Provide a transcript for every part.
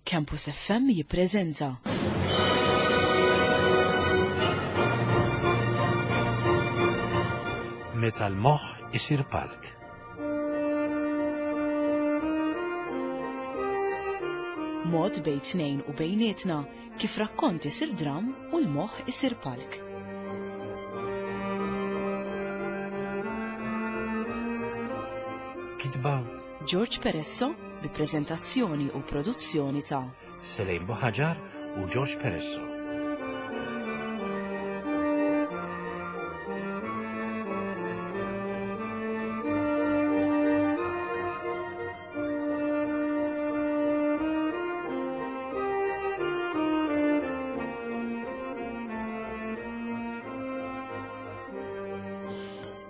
Campus FM jippreżenta. Meta l-moħħ isir palk. Mod bejn tnejn u bejnietna kif rakkont isir dram u l-moħħ isir palk. Kitba George Peresso bi preżentazzjoni u produzzjoni ta' Selejn Buħaġar u George Peresso.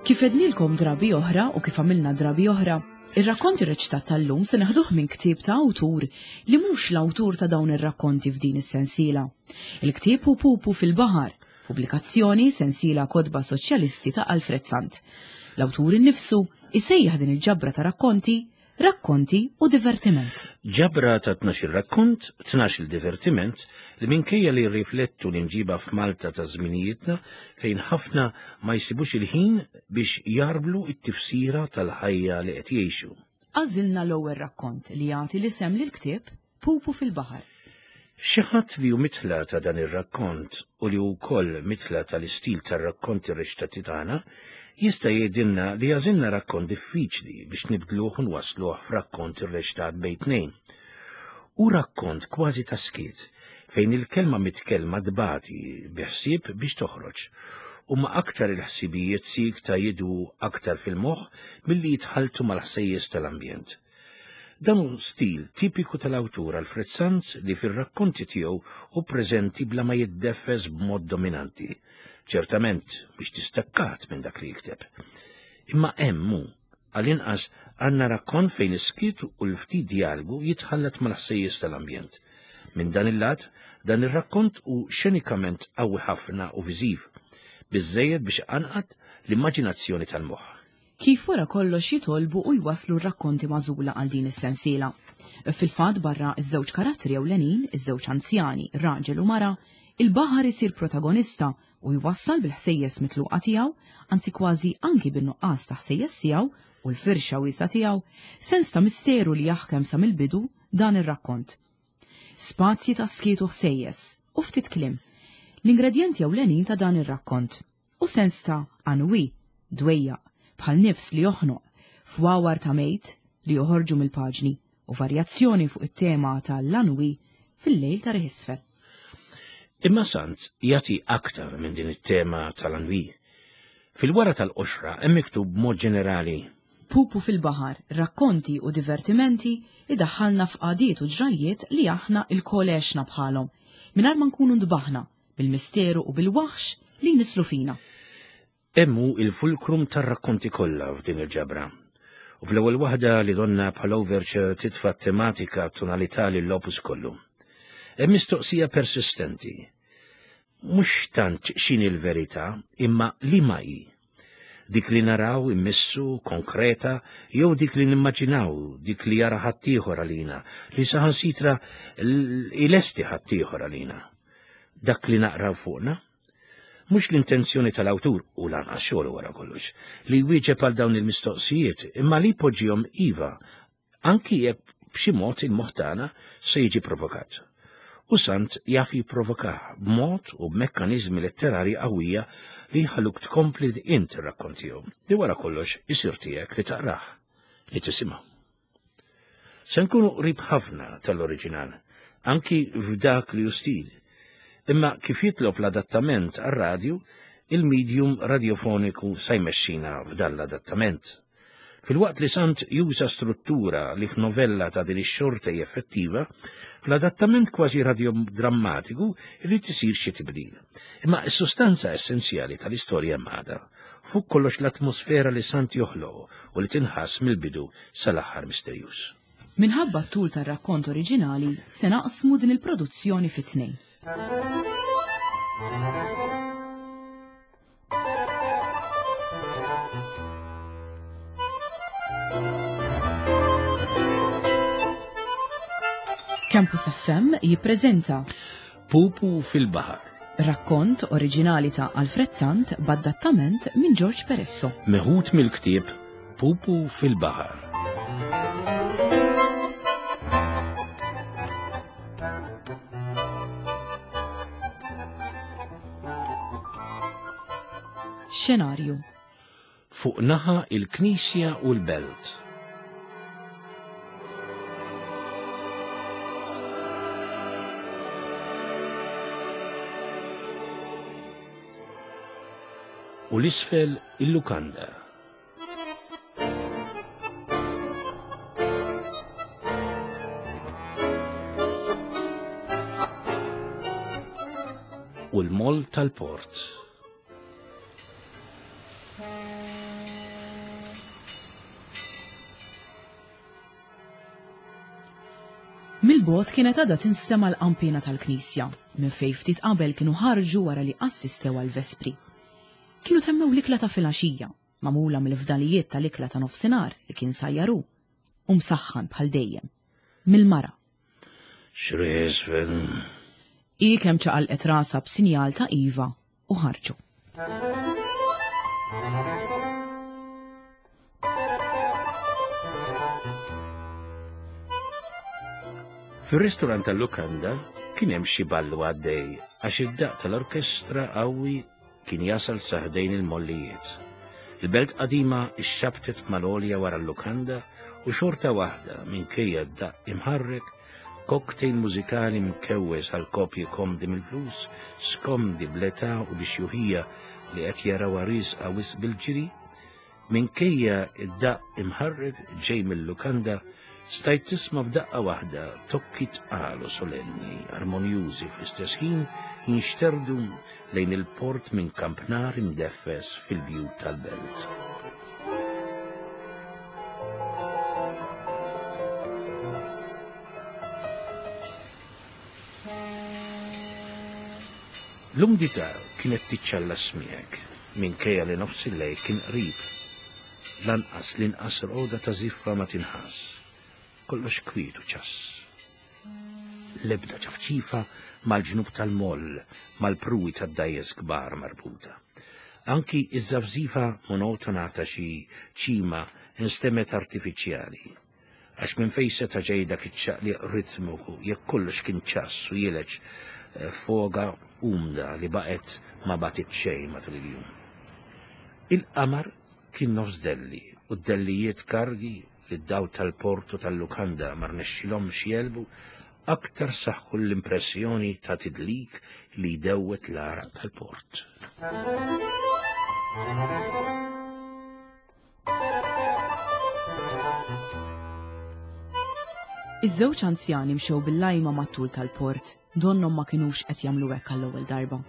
Kif ednilkom drabi oħra u kif għamilna drabi oħra, Ir-rakkont irreċitat tal-lum se neħduh minn ktieb ta' awtur li mhux l-awtur ta' dawn ir-rakkonti f'din is-sensiela. Il-ktieb hu Pupu fil-Baħar, pubblikazzjoni sensiela kotba soċjalisti ta' Alfred Sant. L-awtur innifsu isejjaħ din il-ġabra ta' rakkonti Rakkonti u divertiment. Ġabra ta' 12 rakkont, 12 divertiment li minkejja li jirriflettu l-imġiba f'Malta ta' żminijietna fejn ħafna ma jsibux il-ħin biex jgħarblu t-tifsira tal-ħajja li qed jgħixu. Għażilna l-ewwel rakkont li jagħti l-isem lill-ktieb Pupu fil-Baħar. Xi ħadd li hu mitla ta' dan ir-rakkont u li hu wkoll mitla tal-istil tar-rakkonti reċitati tagħna jista' jgħidilna li għażilna rakkont diffiċli biex nibdluh u nwassluh f'rakkont irreċitat bejn tnejn. Hu rakkont kważi ta' skiet, fejn il-kelma mitkellma tbati bi ħsieb biex toħroġ. Huma aktar il-ħsibijiet siekta jidwu aktar fil-moħħ milli jitħalltu mal-ħsejjes tal-ambjent. Dan hu stil tipiku tal-awtur Alfred Sant li fir-rakkonti tiegħu hu preżenti bla ma jiddeffes b'mod dominanti. Ċertament mhux distakkat minn dak li jikteb. Imma hemm hu Għall-inqas għandna rakkont fejn is-skiet u l-ftit djalgu jitħallat mal-ħsejjes tal-ambjent. Minn dan il-lat, dan ir-rakkont hu xenikament qawwi ħafna u viżiv, biżżejjed biex iqanqat l-immaġinazzjoni tal-moħħ. Kif wara kollox jitolbu u jwasslu r-rakkonti magħżula għal din is-sensiela. Fil-fatt barra ż-żewġ karattri ewlenin, iż-żewġ anzjani, raġel u mara, il-baħar isir protagonista u jwassal bil-ħsejjes mitluqa tiegħu, anzi kważi anki bin-nuqqas ta' ħsejjes tiegħu u l-firxa wiesgħa tiegħu, sens ta' misteru li jaħkem sa mill-bidu dan ir-rakkont. Spazji ta' skiet u ħsejjes, u ftit kliem, l-ingredjenti ewlenin ta' dan ir-rakkont, u sens ta' ennui, dwejjaq, bħal nifs li joħnoq, fwawar ta' mejt li joħorġu mill-paġni, u varjazzjoni fuq it-tema ta' l-ennui fil-lejl ta' riħ isfel. Imma Sant jagħti aktar minn din it-tema tal-ennui. Fil-wara tal-qoxra hemm miktub b'mod ġenerali. Pupu fil-baħar, rakkonti u divertimenti idaħħalna f'qagħdiet u ġrajjiet li aħna lkoll għexna bħalhom, mingħajr ma nkunu ntbaħna bil-misteru u bil-waħx li jnisslu fina. Hemm hu il-fulkrum tar-rakkonti kollha f'din il-ġabra. U fl-ewwel waħda li donnha bħal overture titfa' t-tematika tonalità lill-opus kollu. Hemm mistoqsija persistenti. Mhux tant x'inhi l-verità, imma liema hi. Dik li naraw, immissu, konkreta, jew dik li nimmaġinaw, dik li jara ħaddieħor għalina, li saħansitra ilesti ħaddieħor għalina. Dak li naqraw fuqna? Mhux l-intenzjoni tal-awtur, u lanqas xogħlu wara kollox, li jwieġeb għal dawn il-mistoqsijiet, imma li jpoġġihom iva, anki jekk b'xi mod il-moħħ tagħna se jiġi provokat. U Sant jaf jipprovokah b'mod u b'mekkaniżmi letterarji qawwija li jħalluk tkompli int ir-rakkont tiegħu, li wara kollox isir tiegħek li taqrah, li tisimgħu. Se nkunu qrib ħafna tal-oriġinal, anki f'dak li hu stil. Imma kif jitlob l-adattament għar-radju, il-medium radjofoniku sa jmexxina f'dan l-adattament. Filwaqt li Sant juża struttura li f'novella ta' din ix-xorta hi effettiva, fl-adattament kważi radjodrammatiku jrid isir xi tibdil. Imma s-sustanza essenzjali tal-istorja hemm għadha. Fuq kollox l-atmosfera li Sant joħloq u li tinħass mill-bidu sal-aħħar misterjuż. Minħabba t-tul tar-rakkont oriġinali, se naqsmu din il-produzzjoni fi tnejn. Campus FM jippreżenta Pupu fil-Baħar. Rakkont oriġinali ta' Alfred Sant b'adattament minn George Peresso. Meħud mill-ktieb Pupu fil-Baħar. Xenarju. Fuq naħa il-Knisja u l-Belt. U l-isfel il-lukanda. U l-moll tal-port. Mill-bogħod kienet għadha tinstema' l-qanpiena tal-knisja, minn fejn ftit qabel kienu ħarġu wara li assistew għall-vespri. Kienu temmew l-ikla ta' filgħaxija, magħmula mill-fdalijiet tal-ikla ta' nofsinhar li kien sajjar hu, u msaħħan bħal dejjem, mill-mara. X'riesfel. Hi kemm ċaqalqet rasha b'sinjal ta' iva u ħarġu. Fir-ristorant tal-lukanda kien hemm xi ballu għaddej għax id-daqq tal-orkestra qawwi kien jasal sa ħdejn il-mollijiet. Il-belt qadima xxabtet mal-għolja wara l-lukanda u xorta waħda minkejja d-daqq imħarrek, cocktail mużikali mkewwes għal kopji komdi mill-flus, skomdi bl-età u bix-xjuħija li qed jarawha riesqa wisq bil-ġiri, Minkejja d-daqq imħarrek ġej mil-lukanda, stajt tisma' f'daqqa waħda tokki tqal u solenni, armonjużi fl-istess ħin jinxterdu lejn il-port minn kampnar imdeffes fil-bjut tal-belt. L-umdità kienet tiċċallas miegħek, minkejja li nofs il-lejl kien qrib. Lanqas l-inqas rqoda ta' żiffa ma tinħass. Kollox kwiet u ċass. L-ebda ċafċifa mal-ġnub tal-moll, mal-pruwi tad-dgħajjes kbar marbuta. Anki iż-żafżifa monotona ta' xi ċima nstemgħet artifiċjali. Għax minn fejn seta' ġej dak iċ-ċaqliq ritmiku jekk kollox kien ċass u jileġ eh, foga umda li baqgħet ma bagħtit xejn matul il-jum. Il-qamar kien nofs delli u d-dellijiet kargi li d-daw tal-portu tal-lukanda ma rnexxilhomx jelbu aktar saħħu l-impressjoni ta' tidlik li jdewwet l-għaraq tal-port. Iż-żewġ anzjani mxew bil-lajma mat-tul tal-port, donnhom ma kinux qed jagħmlu hekk għall-ewwel darba.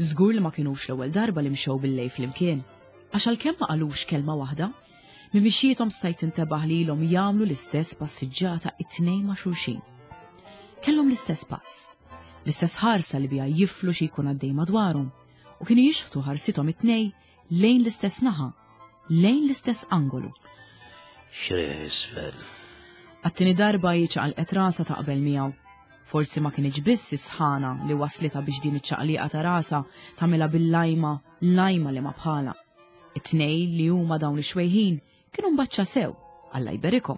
Żgur li ma kinux l-ewwel darba li mxew bil-lejl flimkien, għax għalkemm ma qalux kelma waħda, minn mixjiethom stajt tintebaħ li ilhom jagħmlu l-istess passiġġata it-tnejn ma' xulxin. Kellhom l-istess pass, l-istess ħarsa li biha jiflu xi jkun għaddej madwarhom, u kienu jixħtu ħarsithom it-tnejn lejn l-istess naħa, lejn l-istess angolu. Xreħ isfel. Għat-tieni darba hi ċaqalqet rasha taqbel miegħu. Forsi ma kinitx biss is-sħana li waslitha biex din iċ-ċaqliqa ta' rasha tagħmilha bil-lajma, lajma li ma bħalha. It-tnejn li huma dawn ix-xwejħin Kienu mbaċċa sew, Alla jberikhom.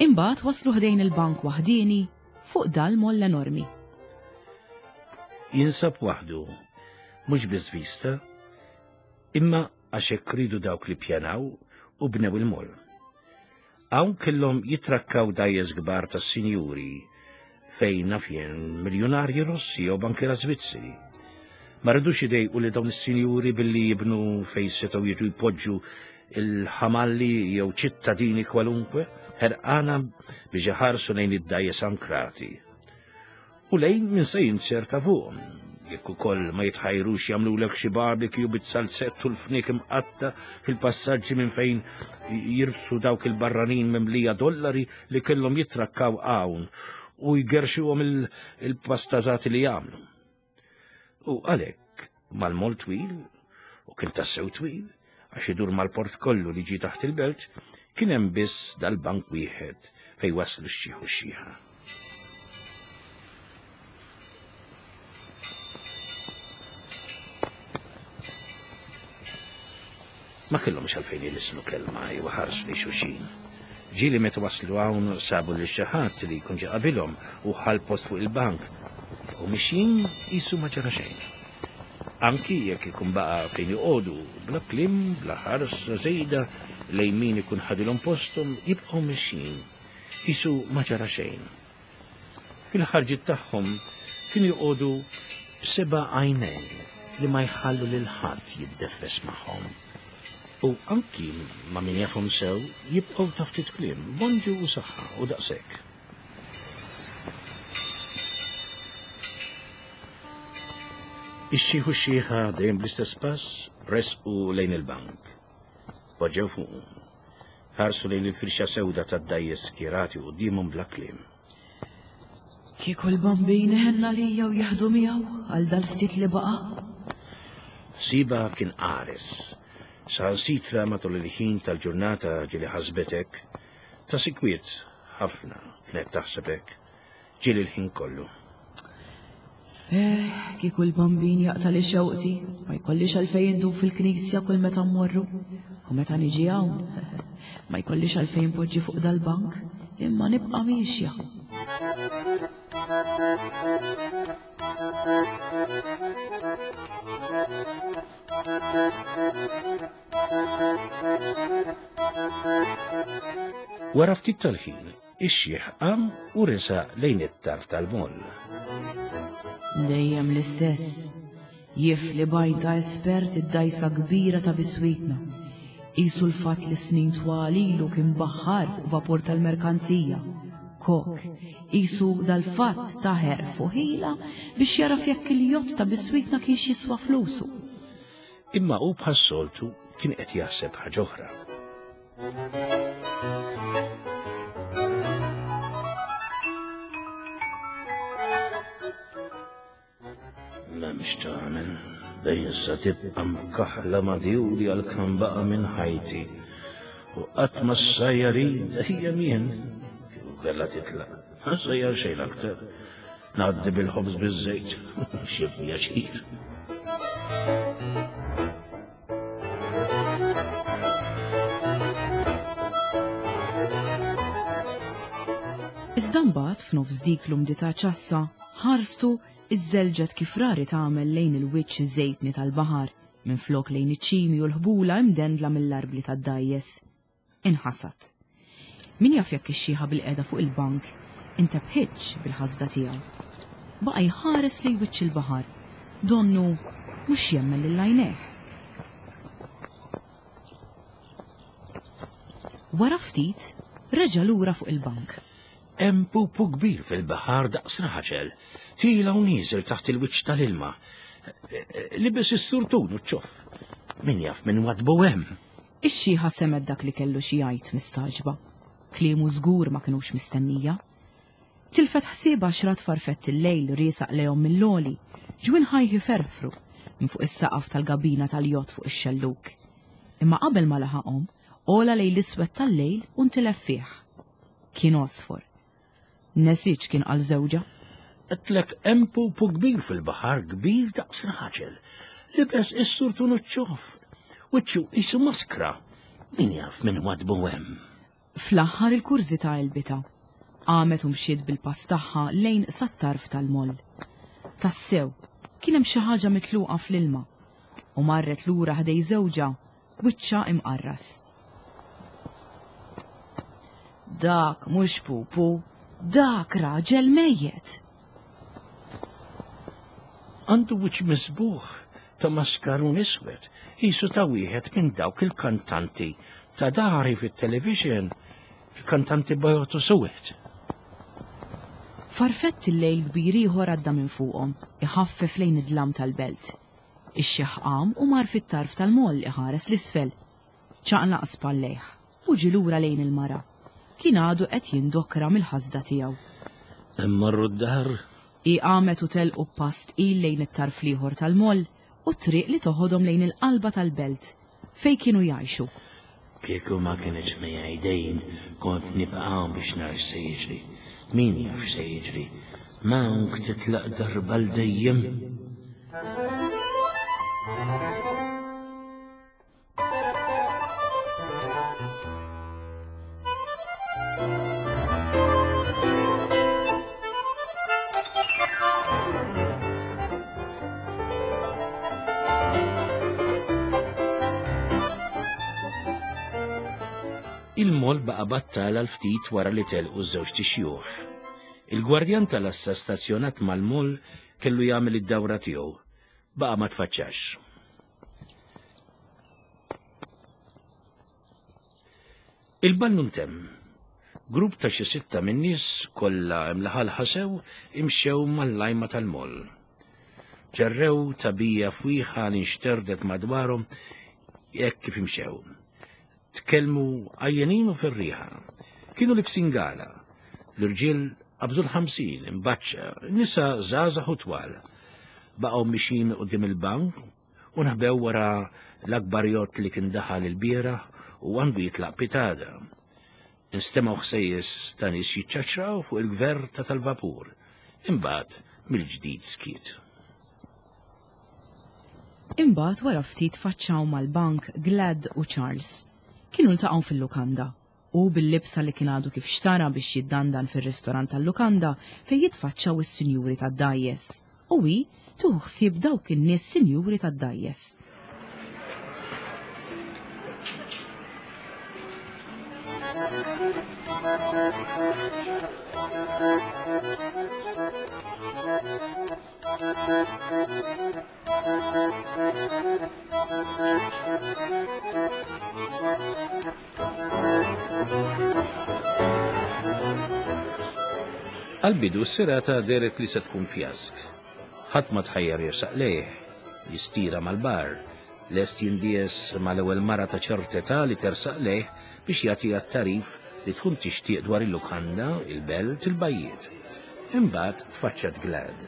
Imbagħad waslu ħdejn il-bank waħdieni fuq dal-moll enormi. Jinsab waħdu, mhux biss vista, imma għax hekk riedu dawk li ppjanaw u bnew il-moll. Hawn kellhom jitrakkaw dgħajjes kbar tas-sinjuri fejn naf jien miljunarji Russi jew bankiera Svizzeri. Ma ridux idejqu li dawn is-sinjuri billi jibnu fejn setgħu jiġu jpoġġu il-ħamalli jew ċittadini kwalunkwe ħerqana biex iħarsu lejn id-dgħajjes ankrati. U lejn min se jinzerta fuqhom. Jekk ukoll ma jitħajrux jagħmlulek xi barbecue bit-salzett u l-fniek imqatta fil-passaġġi minn fejn jirbsu dawk il-barranin mimlija dollari li kellhom jitrakkaw hawn u jgerxuhom il-pastażati li jagħmlu. U għalhekk. Mal-moll twil, u kien tassew twil, għax idur mal-port kollu li ġie taħt il-belt, kien hemm biss dal-bank wieħed fejn waslu x-xiħ u x-xiħa. Ma kellhomx għalfejn ilisnu kelma jew ħarsu li xulxin. Ġieli meta waslu hawn sabu lil xi ħadd li jkun ġie qabilhom u ħa l-post fuq il-bank. Baqgħu mixjin qisu ma ġara xejn. Anki jekk ikun baqa' fejn joqogħdu, bla kliem, bla ħarsa żejda lejn min ikun ħadilhom posthom, jibqgħu mixjin qisu ma ġara xejn. Fil-ħarġiet tagħhom kienu joqogħdu b'seba' għajnejn li ma jħallu lil ħadd jiddeffes magħhom. U anki ma' min jafhom sew jibqgħu ta' ftit kliem, bonġu u saħħa u daqshekk. Ix-xiħ u x-xiħa dejjem bl-istess pass resqu lejn il-bank. Poġġew fuqu. Ħarsu lejn il-firxa sewda tad-dgħajjes skjerati quddiemhom bla kliem. Kieku l-Bambin iħenn għalija u jieħdu miegħu għal dal-ftit li baqa'. Ħsiebha kien qares. Saħansitra matul il-ħin tal-ġurnata ġieli ħasbet hekk. Ta' sikwit ħafna kienet taħseb hekk. Ġieli l-ħin kollu. Eh, kieku l-bambin jaqta' li xewqti, ma jkollix għalfejn indum fil-knisja kull meta mmorru. U meta niġi hawn, ma jkollix għalfejn poġġi fuq dal-bank, imma nibqa' miexja. Wara ftit tal-ħin, Ix-xiħ qam u resaq lejn it-tarf tal-moll. Dejjem l-istess. Jifli b'għajn ta' espert id-dgħajsa kbira ta' biswitna. Qisu l-fatt li snin twal ilu kien baħħar fuq vapur tal-merkanzija. Kok, qisu dal-fatt ta ħerf u ħila biex jagħraf jekk il-jott ta' biswitna kienx jiswa flusu. Imma hu bħas-soltu kien qed jaħseb ħaġa oħra. M'hemmx tagħmel, dejjem sa tibqa' mkaħla ma' djuri għal kemm baqa' minn ħajti. U qatt ma ssajjar hi dejjem jien. Kieku kellha titlaq, ma ssajjar xejn aktar. Ngħaddi bil-ħobż biż-żejt, xi pjaċir. Iżda mbagħad f'nofs dik l-umdità ċassa, ħarstu iżżelġet kif rari tagħmel lejn il-wiċċ żejtni tal-baħar, minflok lejn iċ-ċimi u l-ħbula imdendla mill-arbli tad-dgħajjes. Inħasad. Min jaf jekk ix-xiħa bilqiegħda fuq il-bank intebħitx bil-ħasda tiegħu. Baqa' jħares lejn wiċċ il-baħar, donnu mhux jemmen lil għajnejh. Wara ftit, reġa' lura fuq il-bank. Hemm pupu kbir fil-baħar daqs raġel, tiela' u nieżel taħt il-wiċċ tal-ilma. Libes is-surtun u ċ-ċoff. Min jaf min wadbu hemm. Ix-xiħa semgħet dak li kellu xi jgħid mistagħġba. Kliemu żgur ma kinux mistennija. Tilfet ħsiebha x'rat farfett il-lejl riesaq lejhom mill-għoli, ġwinħajh iferfru minn fuq is-saqaf tal-gabina tal-jott fuq ix-xellug. Imma qabel ma laħaqhom, għola lejn l-iswed tal-lejl u ntilef fih. Kien għosfor. Nesiet x'kien qal żewġha. Għedtlek hemm pupu kbir fil-baħar, kbir daqs raġel. Libes is-surtun u ċ-ċoff. Wiċċu qisu maskra. Min jaf min wadbu hemm. Fl-aħħar il-kurżità għelbitha. Qamet u mxiet bil-pass tagħha lejn sat-tarf tal-moll. Tassew, kien hemm xi ħaġa mitluqa fl-ilma. U marret lura ħdej żewġha Wiċċha imqarras. Dak mhux pupu, dak raġel mejjet. Għandu wiċċ miżbugħ ta' maskarun iswed, qisu ta' wieħed minn dawk il-kantanti ta' dari fit-television, il-kantanti bajot u suwed. Farfett il-lejl kbir ieħor għadda minn fuqhom, iħaffef lejn id-dlam tal-belt. Ix-xiħ qam u mar fit-tarf tal-moll iħares 'l isfel. Ċaqlaq spallejh u ġie lura lejn il-mara. Kien għadu qed jindokra mill-ħasda tiegħu. Immorru d-dar? Hi qamet u telqu b'pass tqil lejn it-tarf l-ieħor tal-moll u t-triq li toħodhom lejn il-qalba tal-belt fejn kienu jgħixu. Kieku ma kinitx miegħi dejn kont nibqa' hawn biex nara x'se jiġri. Min jaf x'se jiġri. M'hawnk titlaq darba 'l dejjem. Il-moll baqa' battal għal ftit wara li telqu ż-żewġt ixjuħ. Il-gwardjan tal-assa stazzjonat mal-moll kellu jagħmel id-dawra tiegħu. Baqa' ma tfaċċax. Il-ballu ntemm. Grupp ta' xi sitta min-nies, kollha imlaħalħa sew, imxew mal-lajma tal-moll. Ġarrew tagħbija fwieħa li nxterdet madwarhom hekk kif imxew. Tkellmu għajjenin u ferrieħa. Kienu libsin gala. L-irġiel qabżu l-50, imbaċċa, nisa żgħażagħ u twal. Baqgħu mixin quddiem il-bank u nħbew wara l-akbar jott li kien daħal ilbieraħ u għandu jitlaq pitgħada. Instemgħu ħsejjes ta' nies jiċċaċċraw fuq il-gverta tal-vapur. Imbagħad mill-ġdid skiet. Imbagħad wara ftit tfaċċaw mal-bank Glad u Charles. Kienu ltaqgħu fil-lukanda. Hu bil-libsa li kien għadu kif xtara biex jiddandan fir-ristorant tal-lukanda fejn jitfaċċaw is-sinjuri tad-dgħajjes. U hi tieħu ħsieb dawk in-nies sinjuri tad-dgħajjes. Għal-bidu s-serata deret li se tkun fjask. Ħadd ma tħajjar jersaq lejh, jistira mal-bar, lest jindies mal-ewwel mara ta' ċertetà li tersaq lejh biex jagħtiha t-tagħrif li tkun tixtieq dwar il-lukanda, il-belt, il-bajjiet. Imbagħad tfaċċat Glad.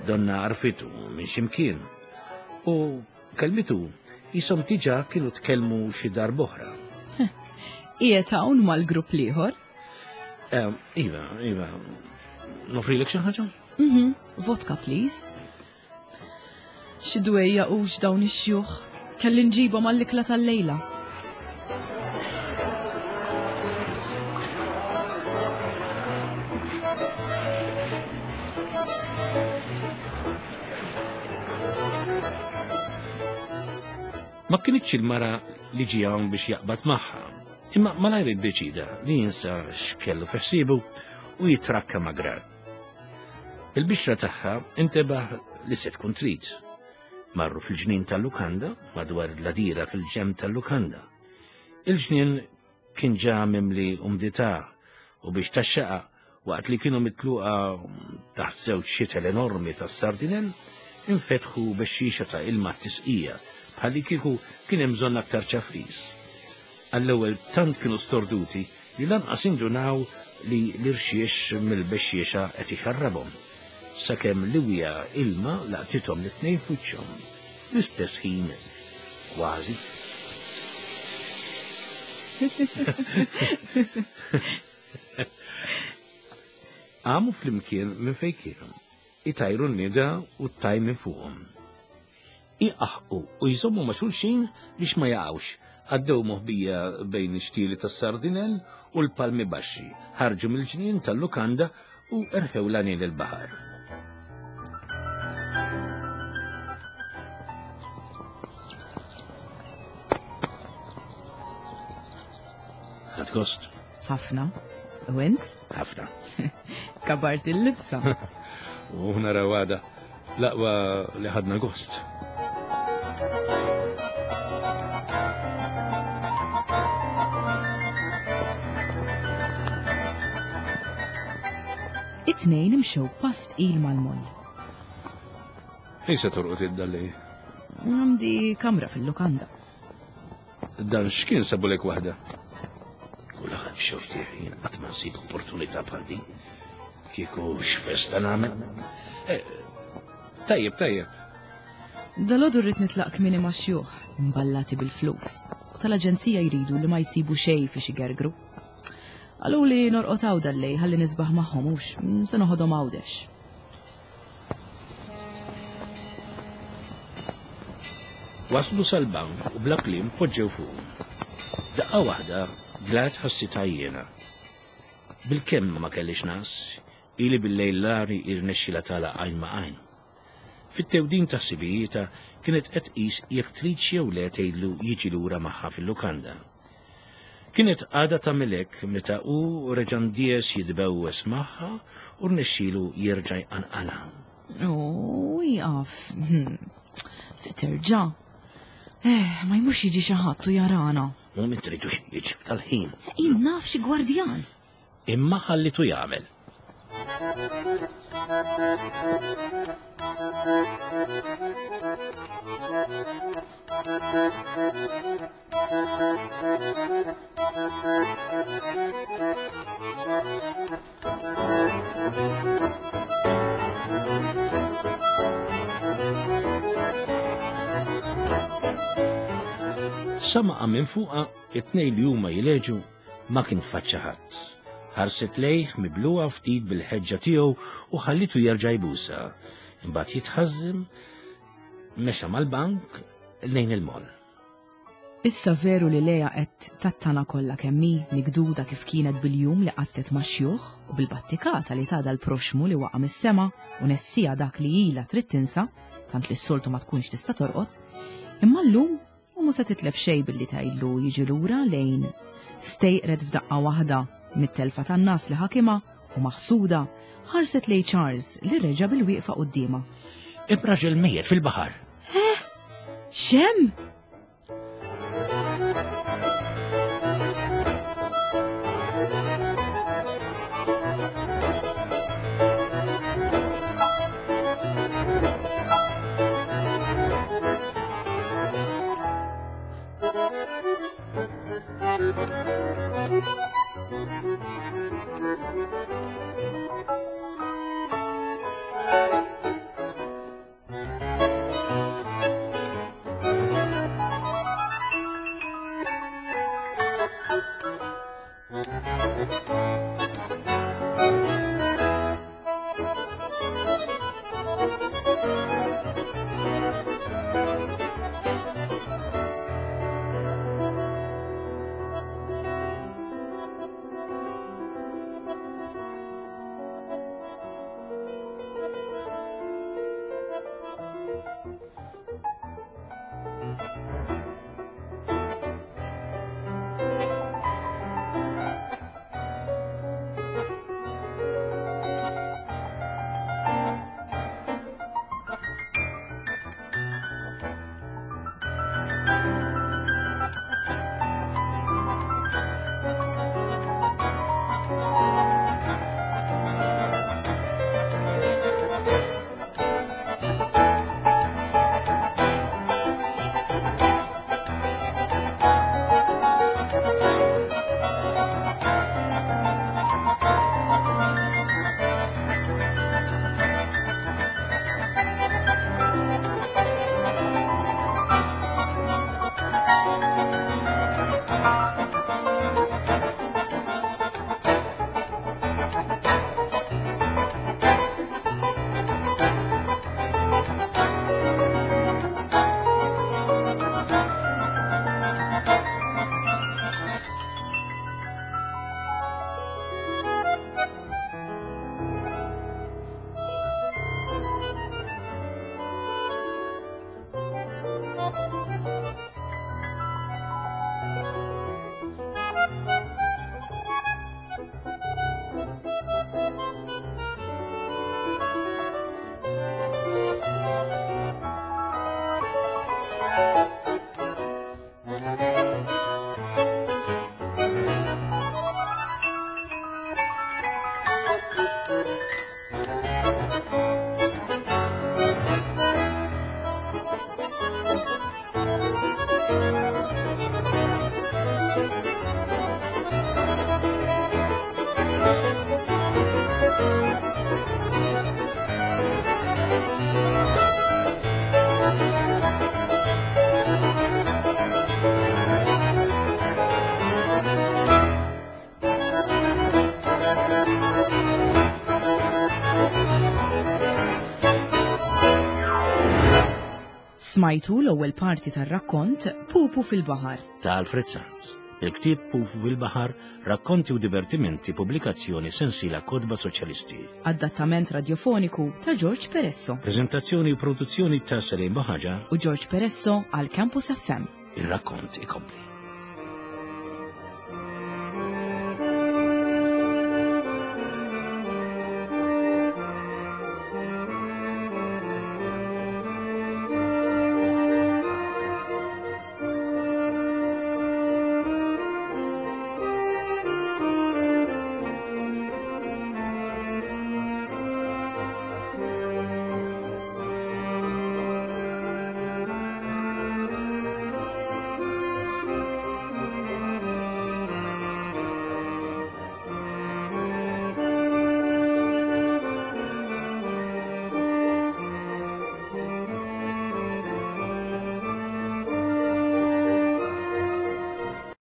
Donna għarfitu minn x'imkien u Kelmitu qishom diġà kienu tkellmu xi darb'oħra. Qiegħed hawn mal-grupp l-ieħor? Eh, iva, iva. Nofrilek xi ħaġa? Mhm, vodka please. Xi dwejja hux dawn ix-xjuħ. Kelli nġibhom għall-ikla tal-lejla. Ma kinitx il-mara li ġie hawn biex jaqbad magħha, imma malajr iddeċida li jinsa x'kellu fi ħsiebu u jitrakka ma' Grad. Il-bixra tagħha intebaħ li se tkun trid. Marru fil-ġnien tal-lukanda, madwar l-għadira fil-ġenb tal-lukanda. Il-ġnien kien ġa mimli umdità u biex taxxaqa waqt li kienu mitluqa taħt żewġ xitel enormi tas-sardinell, infetħu bexxixa ta' ilma t-tisqija, bħallikieku kien hemm bżonn aktar ċafris. Għall-ewwel tant kienu storduti li lanqas indunaw li l-irxiex mill-bexxiexa qed ixarrabhom, sakemm liwja ilma laqtithom l-itnejn f'wiċċhom. Fl-istess ħin kważi. Qamu flimkien minn fejn kienu, itajru n-nida u t-taj minn fuqhom. Iqaħqu u jżommu ma' xulxin biex ma jaqgħux. Għaddew moħbija bejn ix-xtieli tas-sardinell u l-palmi baxxi, ħarġu mill-ġnien tal-lukanda u erħew l-għanien il-baħar. Ħadt gost? Ħafna. U int? Ħafna. Kabart il-libsa. U naraw għada l-aqwa li ħadna gost. It-tnejn imxew pass tqil mal-moll. Fejn se torqod id-dalli? Għandi kamra fil-lukanda. Dan x'kien sabulek waħda? Kulħadd xorti jien qatt ma nsib opportunità bħal din. Kieku x'festa nagħmel. Eh, tajjeb, tajjeb. Dalgħodu rrid nitlaq kmieni ma' xjuħ, imballati bil-flus, u tal-aġenzija jridu li ma jsibu xejn fiex igergru. Qaluli norqod hawn dal-lejl ħalli nisbaħ magħhom hux, se noħodhom Għawdex. Waslu sal-bank u bla kliem poġġew fuqu. Daqqa waħda, Glad ħassitha jiena. Bilkemm ma kellix nas, ili bil-lejl l-għari irnexxilha tagħlaq għajn ma' għajn. Fit-tewdin ta' ħsibijietha kienet qed tqis jekk tridx jew le tgħidlu jiġi lura magħha fil-lukanda. Kienet għadha tagħmel hekk meta hu reġa' ndies jitbewwes magħha u rnexxielu jerġa' jqanqalha. U jaqaf. Hmm. Se terġa'. Eh, ma jmurx jiġi xi ħadd u jarana. U min tridu jiġi tal-ħin. Jien naf xi gwardjan. Imma ħallitu jagħmel. Sama minn fuqa it-tnejn li huma jileġu Ma kien faċċa ħadd. Ħarset lejh mibluha ftit bil-ħeġġa tiegħu u ħallitu jerġa' jbusha. Imbagħad jitħażżem, mexa mal-bank lejn il-moll. Issa veru li Lea qed tattana kollha kemm hi, mikduda kif kienet bil-jum li qattet max-xjuħ u bil-battikata li tagħda l-proxxmu li waqa' mis-sema u nessieha dak li ilha trid tinsa, tant li s-soltu ma tkunx tista' torqod, imma llum U mhu se titlef xejn billi tgħidlu jiġi lura lejn stejqret f'daqqa waħda mit-telfa tan-nas li ħakimha u maħsuda ħarset lejn Charles li reġa' bil-wieqfa quddiemha. Hemm raġel mejjet fil-baħar. Eh? X'hemm? Smajtu l-ewwel parti tar-rakkont Pupu fil-Baħar. Ta' Alfred Sant. Il-ktieb Pupu fil-Baħar, rakkonti u divertimenti pubblikazzjoni sensiela Kotba Soċjalisti. Adattament radjofoniku ta' George Peresso. Preżentazzjoni u produzzjoni ta' Salim Baħaġa u George Peresso għal Campus FM. Ir-rakkont ikompli.